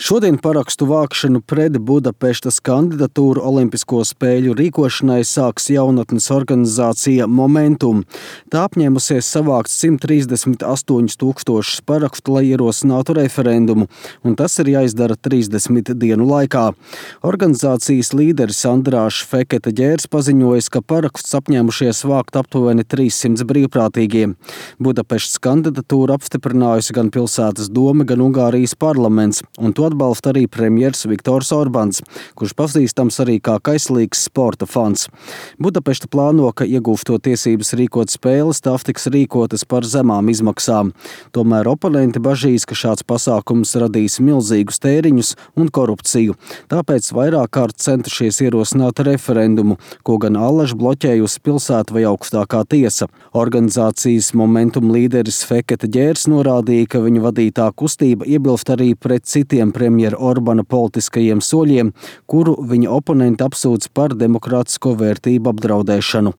Šodien parakstu vākšanu pret Budapeštas kandidatūru Olimpisko spēļu rīkošanai sāks jaunatnes organizācija Momentum. Tā apņēmusies savākt 138 000 parakstu, lai ierosinātu referendumu, un tas ir jāizdara 30 dienu laikā. Organizācijas līderis Andrāšs Fekete-Ģērs paziņojis, ka parakstus apņēmušies vākt aptuveni 300 brīvprātīgie. Budapeštas kandidatūru apstiprinājusi gan pilsētas dome, gan Ungārijas parlaments, un to atbalsta arī premjers Viktors Orbāns, kurš pazīstams arī kā kaislīgs sporta fans. Budapešta plāno, ka iegūstot tiesības rīkot spēles, tās tiks rīkotas par zemām izmaksām. Tomēr oponenti bažīs, ka šāds pasākums radīs milzīgus tēriņus un korupciju. Tāpēc vairāk kārt centušies ierosināt referendumu, ko gan allaž bloķējusi pilsēta vai augstākā tiesa. Organizācijas Momentum līderis Fekete-Ģērs norādīja, ka viņa vadītā kustība iebilst arī pret citiem premjera Orbāna politiskajiem soļiem, kuru viņa oponenti apsūdz par demokrātisko vērtību apdraudēšanu.